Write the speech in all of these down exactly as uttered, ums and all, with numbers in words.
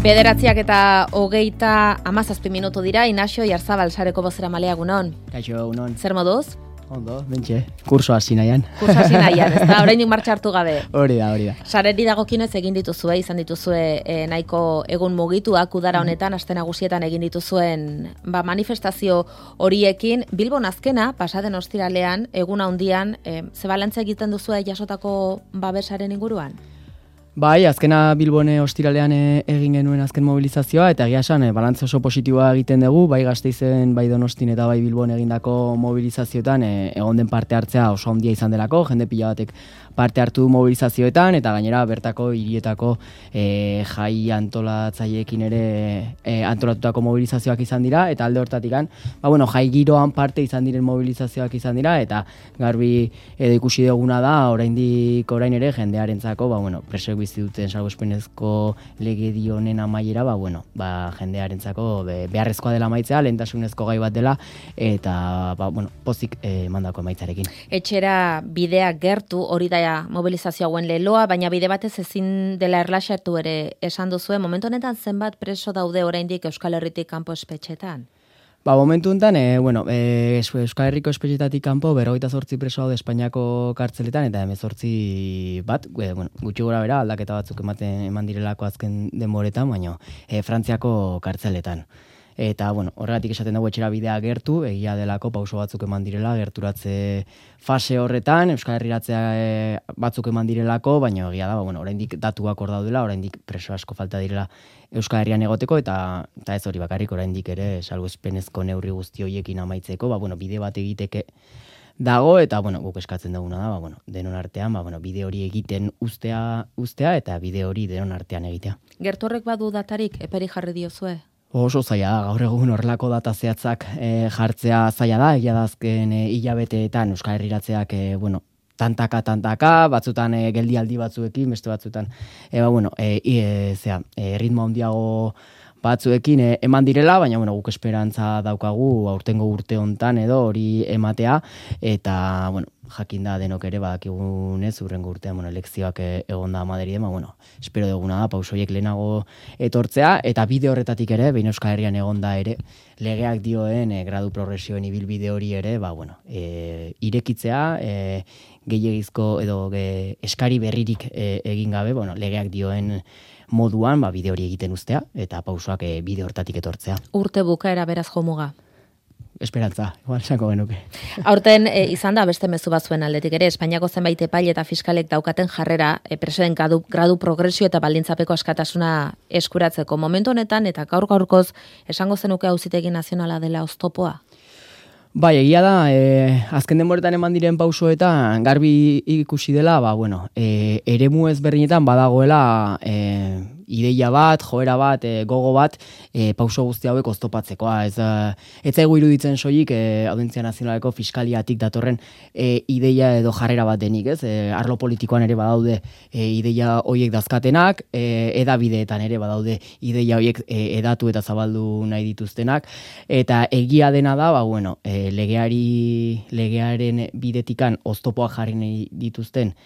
Bederatziak eta hogeita hamazazpi minutu dira, Inaxio Jarzabal sareko bozeramalea egunon. Kaixo, egunon. Zer moduz? Ondo, bentxe, kurso hasi nahian. Kurso hasi nahian, ez da, oraindik martxa hartu gabe. Hori da, hori da. Sareri dagokinez egin dituzue, izan dituzue e, nahiko egun mugituak udara honetan, aste nagusietan egin dituzuen ba, manifestazio horiekin. Bilbon azkena, pasaden ostiralean, egun handian, e, ze balantza egiten duzue jasotako babesaren inguruan? Bai, azkena Bilbone ostiralean egin genuen azken mobilizazioa, eta egia esan, balantza oso positiboa egiten dugu, bai Gasteizen, bai Donostin eta bai Bilbon egindako mobilizazioetan, e, egon den parte hartzea oso handia izan delako, jende pila batek parte hartu du mobilizazioetan, eta gainera bertako hirietako e, jai antolatzaileekin ere e, antolatutako mobilizazioak izan dira, eta alde hortatikan, ba, bueno, jai giroan parte izan diren mobilizazioak izan dira, eta garbi edo ikusi duguna da, oraindik orain ere jendearentzako, ba, bueno, presoek bizi duten salbuespenezko legedi honen amaiera, ba, bueno, ba, jendearentzako be, beharrezkoa dela amaitzea, lehentasunezko gai bat dela, eta, ba, bueno, pozik eh, mandako emaitzarekin. Etxera bidea gertu, hori da mobilizazio hauen leloa, baina bide batez ezin dela erlaxatu ere esan duzue, momentu honetan zenbat preso daude oraindik Euskal Herritik kanpo espetxetan? Ba, momentu honetan, e, bueno, e, Euskal Herriko espetxetatik kanpo berrogeita zortzi preso daude Espainiako kartzeletan, eta hemezortzi bat, e, bueno, gutxi gora bera, aldaketa batzuk ematen eman direlako azken denboretan, baina e, Frantziako kartzeletan. Eta, bueno, horregatik esaten dugu etxera bidea gertu, egia delako pauso batzuk eman direla, gerturatze fase horretan, Euskal Herriratzea e, batzuk eman direlako, baina egia da, ba, bueno, oraindik datuak hor daudela, oraindik preso asko falta direla Euskal Herrian egoteko, eta, eta ez hori bakarrik oraindik ere salbuespenezko neurri guzti horiekin amaitzeko, ba, bueno, bide bat egiteke dago, eta, bueno, guk eskatzen duguna da, ba, bueno, denon artean, ba, bueno, bide hori egiten ustea, ustea, eta bide hori denon artean egitea. Gertu horrek badu datarik, eperi jarri diozue? Oso zaila da, gaur egun horrelako data zehatzak e, jartzea zaila da, egia da azken e, hilabeteetan Euskal Herriratzeak, e, bueno, tantaka, tantaka, batzutan e, geldialdi batzuekin, beste batzutan, e, ba, bueno, e, e, zera, e, ritmo handiago batzuekin e, eman direla, baina, bueno, guk esperantza daukagu aurtengo urte hontan edo hori ematea, eta, bueno, jakin da denok ere badakigunez urrengo urtean, bueno, elekzioak egon da Madriden, ba, bueno, espero duguna da pausoiek lehenago etortzea, eta bide horretatik ere, behin Euskal Herrian egon da ere, legeak dioen e, gradu progresioen ibilbide hori ere, ba, bueno, e, irekitzea, e, gehiagizko edo ge, eskari berririk e, egin gabe, bueno, legeak dioen moduan, ba, bide hori egiten ustea, eta pausoak e, bide hortatik etortzea. Urte bukaera beraz jomuga. Esperantza, igual esango genuke. Aurten e, izan da beste mezu batzuen aldetik ere, Espainiako zenbait epaile eta fiskalek daukaten jarrera e, presoen gradu, gradu progresio eta baldintzapeko askatasuna eskuratzeko. Momentu honetan eta gaur gaurkoz esango zenuke Auzitegi Nazionala dela oztopoa? Bai, egia da, e, azken denboretan eman diren pausoetan garbi ikusi dela, ba, bueno, e, eremu ezberdinetan badagoela e, ideia bat, joera bat, e, gogo bat, e, pauso guzti hauek oztopatzekoa. Ez, ez zaigu iruditzen soilik e, Audientzia Nazionaleko fiskaliatik datorren e, ideia edo jarrera bat denik, ez? E, arlo politikoan ere badaude e, ideia horiek dazkatenak, e, edabideetan ere badaude ideia horiek e, edatu eta zabaldu nahi dituztenak, eta egia dena da, ba, bueno, e, legeari, legearen bidetikan oztopoak jarri nahi dituzten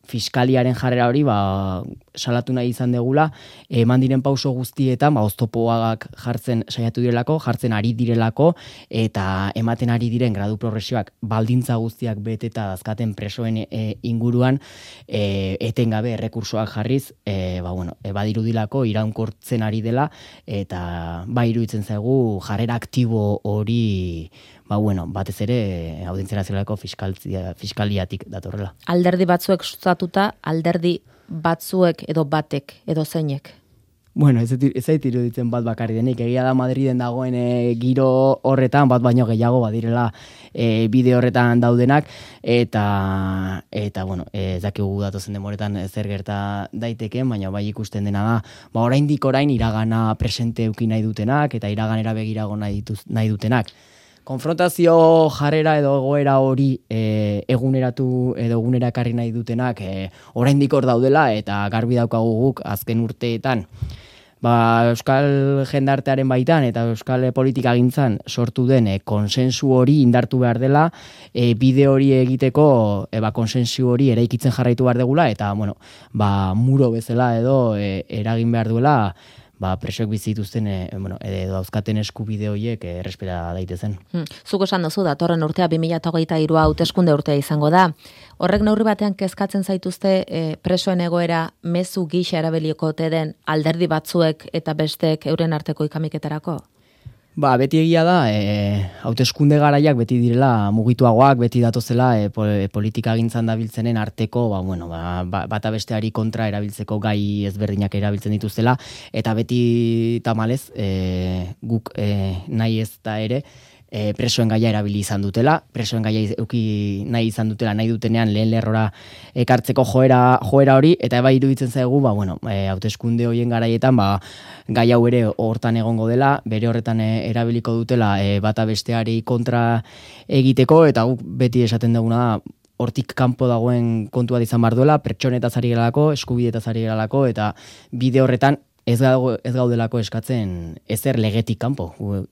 fiskaliaren jarrera hori, ba, salatu nahi izan degula, eman diren pauso guztietan, ba, oztopoak jartzen saiatu direlako, jartzen ari direlako, eta ematen ari diren gradu progresioak baldintza guztiak beteta dazkaten presoen e, inguruan, e, etengabe errekursoak jarriz, e, ba, bueno, e, badirudilako iraunkortzen ari dela, eta ba, iruditzen zaigu jarrera aktibo hori, ba, bueno, batez ere Audientzia Nazionaleko fiskaliatik datorrela. Alderdi batzuek sustatuta, alderdi batzuek edo batek edo zeinek? Bueno, ez zait iruditzen bat bakarri denik. Egia da Madriden dagoen e, giro horretan, bat baino gehiago badirela e, bide horretan daudenak, eta, eta bueno, ez dakigu datozen demoretan zer gerta daiteken, baina bai ikusten dena da, ba, oraindik orain iragana presente euki nahi dutenak, eta iraganera begirago nahi, dituz, nahi dutenak. Konfrontazio jarrera edo egoera hori e, eguneratu edo egunerakarri nahi dutenak e, oraindik hor daudela, eta garbi daukagu guk azken urteetan ba, euskal jendartearen baitan eta euskal politika gintzan sortu den e, konsensu hori indartu behar dela, e, bide hori egiteko e, ba, konsensu hori eraikitzen jarraitu behar degula, eta bueno, ba, muro bezala edo e, eragin behar duela ba, presoek bizituzten, e, bueno, edo dauzkaten eskubide horiek errespeta daitezen. Hmm. Zuk esan duzu, datorren urtea bi mila hogeita hiru hauteskunde urtea izango da. Horrek neurri batean kezkatzen zaituzte e, presoen egoera mezu gisa erabiliko ote den alderdi batzuek eta bestek euren arteko ikamiketarako? Ba, beti egia da, e, hauteskunde garaiak beti direla mugituagoak, beti datozela e, politika gintzan dabiltzenen arteko, ba, bueno, ba, bata besteari kontra erabiltzeko gai ezberdinak erabiltzen dituztela, eta beti tamalez, e, guk e, nahi ez da ere, E, presoen gaia erabili izan dutela, presoen gaia euki nahi izan dutela, nahi dutenean lehen lerrora ekartzeko joera, joera hori, eta eba iruditzen zaigu, ba, bueno, e, hauteskunde horien garaietan, ba, gai hau ere hortan egongo dela, bere horretan e, erabiliko dutela e, bata besteari kontra egiteko, eta guk beti esaten duguna da, hortik kanpo dagoen kontua izan bar duela, pertsonetaz ari geralako, eskubidetaz ari geralako, eta bide horretan, Ez, gau, ez gaudelako eskatzen ezer legetik kanpo.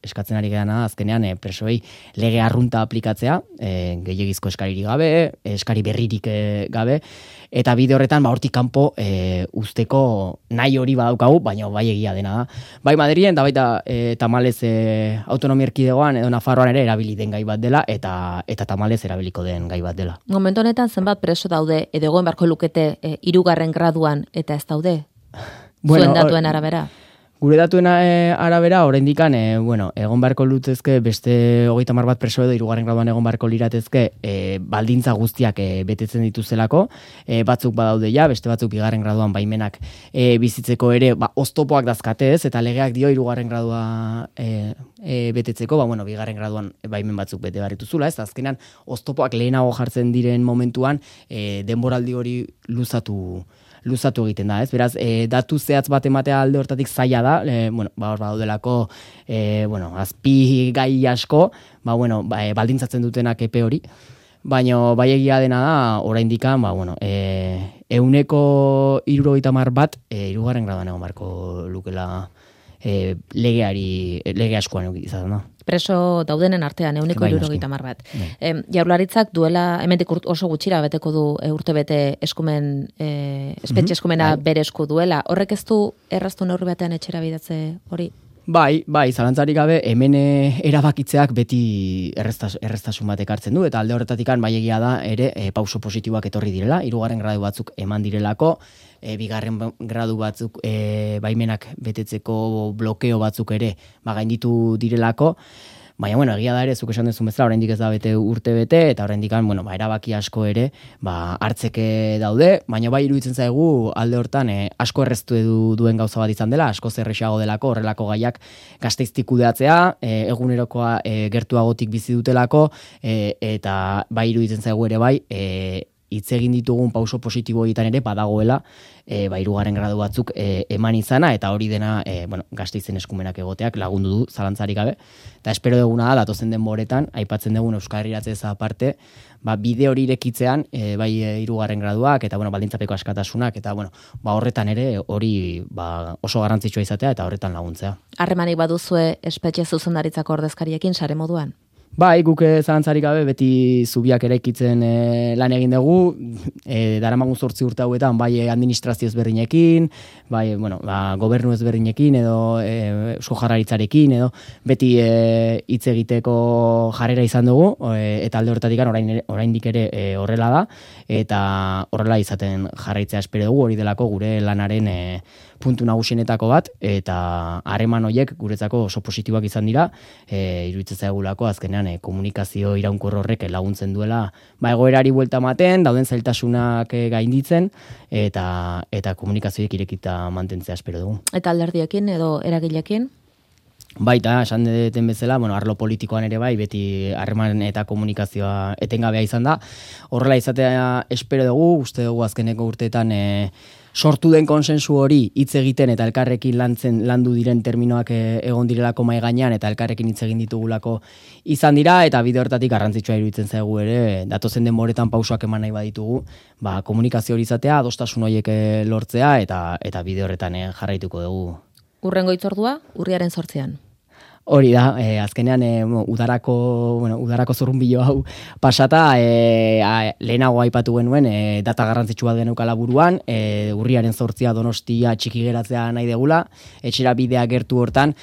Eskatzen ari gara azkenean e, presoei lege arrunta aplikatzea, e, gehiagizko eskaririk gabe, eskari berririk e, gabe, eta bide horretan ba, hortik kanpo e, usteko nahi hori badaukagu, baina bai egia dena da. Bai Madrilen, da baita e, tamalez e, autonomia erkidegoan edo Nafarroan ere erabili den gai bat dela, eta eta tamalez erabiliko den gai bat dela. Momentu honetan zenbat preso daude, edo egoen barko lukete e, hirugarren graduan, eta ez daude? Bueno, zuen datuen arabera? Gure datuen arabera, oraindik e, bueno, egon beharko lutezke beste hogeita hamar bat preso edo hirugarren graduan egon beharko liratezke e, baldintza guztiak e, betetzen dituzelako, e, batzuk badaude ja, beste batzuk bigarren graduan baimenak e, bizitzeko ere, ba, oztopoak dazkatez, eta legeak dio hirugarren gradua e, e, betetzeko, ba, bueno, bigarren graduan baimen batzuk bete barrituzula, ez, azkenan oztopoak lehenago jartzen diren momentuan e, denboraldi hori luzatu luzatu egiten da, ez? Beraz, e, datu zehatz bat ematea alde hortatik zaila da, e, bueno, ba, hor badaudelako, e, bueno, azpi gai asko, ba, bueno, ba, e, baldintzatzen dutenak epe hori, baina bai egia dena da, oraindik, ba, bueno, e, euneko hirurogeita hamar bat, e, hirugarren graduan egon beharko lukela e, legeari, lege askoan izan da. Preso daudenen artean, euneko hirurogeita hamar bat. E, Jaurlaritzak duela, hemendik oso gutxira beteko du e, urtebete eskumen, e, espetxe eskumena mm-hmm. bere esku duela. Horrek ez du erraztu neurri batean etxera bidatze hori? Bai, bai, zalantzarik gabe, hemen erabakitzeak beti erreztas, erreztasun bat ekartzen du, eta alde horretatikan bai egia da, ere, e, pauso positiboak etorri direla, hirugarren gradu batzuk eman direlako, e, bigarren gradu batzuk e, baimenak betetzeko blokeo batzuk ere ba, gainditu direlako, baina, bueno, egia da ere, zuk esan duzun bezala, oraindik ez da bete urte bete, eta oraindik bueno, ba, erabaki asko ere, ba, hartzeke daude, baina bai iruditzen zaigu alde hortan e, asko erreztu edu duen gauza bat izan dela, asko zerrexago delako, horrelako gaiak Gasteiztik kudeatzea, e, egunerokoa e, gertuagotik bizi dutelako, e, eta bai iruditzen zaigu ere bai, e, hitz egin ditugun pauso positibo egiten ere badagoela e, ba, hirugarren gradu batzuk e, eman izana, eta hori dena e, bueno, Gasteizen eskumenak egoteak lagundu du zalantzarik gabe, eta espero duguna da datozen denboretan aipatzen dugun Euskal Herriratze aparte, ba, bide hori irekitzean e, bai hirugarren graduak eta bueno, baldintzapeko askatasunak, eta bueno, ba, horretan ere hori ba, oso garrantzitsua izatea eta horretan laguntzea. Harremanik baduzue espetxe zuzendaritzako ordezkariekin sare moduan? Bai, guk zalantzarik gabe beti zubiak eraikitzen e, lan egin dugu, e, daramagun zortzi urte hauetan, bai administrazio ezberdinekin, bai, bueno, ba, gobernu ezberdinekin, edo e, Eusko Jaurlaritzarekin, edo beti hitz e, egiteko jarrera izan dugu, e, eta alde horretatik orain, oraindik ere e, horrela da, eta horrela izaten jarraitzea espero dugu, hori delako gure lanaren e, puntu nagusienetako bat, eta harreman horiek guretzako oso positiboak izan dira, e, iruditzen zaigulako azkenean e, komunikazio iraunkor horrek laguntzen duela, ba, egoerari buelta ematen, dauden zailtasunak e, gainditzen, eta eta komunikazioek irekita mantentzea espero dugu. Eta alderdiekin edo eragileekin? Baita, esan deten bezala, bueno, arlo politikoan ere bai, beti harreman eta komunikazioa etengabea izan da. Horrela izatea espero dugu, uste dugu azkeneko urteetan e, sortu den konsensu hori hitz egiten eta elkarrekin lantzen landu diren terminoak e, egon direlako mai gainean eta elkarrekin hitz egin ditugulako izan dira, eta bide hortatik garrantzitsua iruditzen zaigu ere, datozen denboretan pausoak eman nahi baditugu, ba, komunikazio hori izatea, adostasun horiek lortzea, eta eta bide horretan e, jarraituko dugu. Urrengo hitzordua, urriaren zortzian. Hori da, e, azkenean e, udarako, bueno, udarako zurrunbilo hau pasata, e, a, lehenago aipatu genuen e, data garrantzitsu bat geneukala buruan, e, urriaren zortzia Donostia txiki geratzea nahi degula, etxera bidea gertu hortan,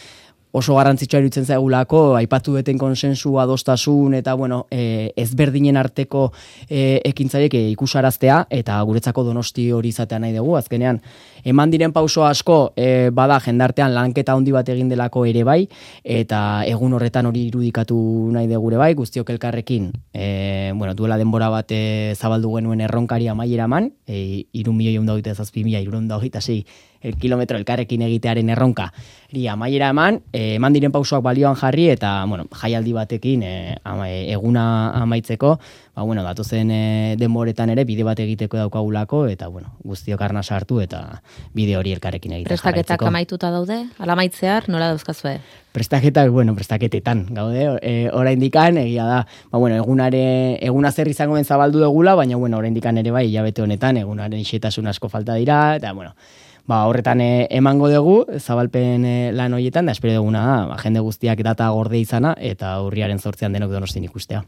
oso garrantzitsua iruditzen zaigulako, aipatu duten konsensu, adostasun, eta bueno, e, ezberdinen arteko e, ekintzaiek e, ikusaraztea, eta guretzako Donosti hori izatea nahi dugu, azkenean, eman diren pauso asko, e, bada jendartean lanketa handi bat egin delako ere bai, eta egun horretan hori irudikatu nahi dugu ere bai, guztiok elkarrekin, e, bueno, duela denbora bat e, zabaldu genuen erronkari amaiera eman, e, iru milioi eunda hogeita zazpi mila, iru eunda hogeita sei el kilometro elkarrekin egitearen erronka. Eri, amaiera eman, e, eman diren pausoak balioan jarri, eta, bueno, jaialdi batekin e, ama, e, eguna amaitzeko, ba, bueno, datozen e, denboretan ere bide bat egiteko daukagulako, eta, bueno, guztiok arna sartu, eta bide hori elkarrekin egiten jarraitzeko. Prestaketak amaituta daude? Ala maitzear, nola dauzkazue? Prestaketak, bueno, prestaketetan, gaude, e, oraindikan, egia da, ba, bueno, egunare, eguna zer izango den zabaldu degula, baina, bueno, oraindikan ere bai, hilabete honetan, egunaren xetasun asko falta dira, eta, bueno, ba, horretan e, emango dugu, zabalpen e, lan horietan, da espero duguna da, ba, jende guztiak data gorde izana, eta urriaren zortzean denok Donostin ikustea.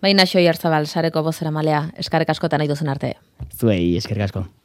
Baina Xoi Arzabal, sareko bozera malea, eskarek askotan nahi duzen arte. Zuei, eskerrik asko.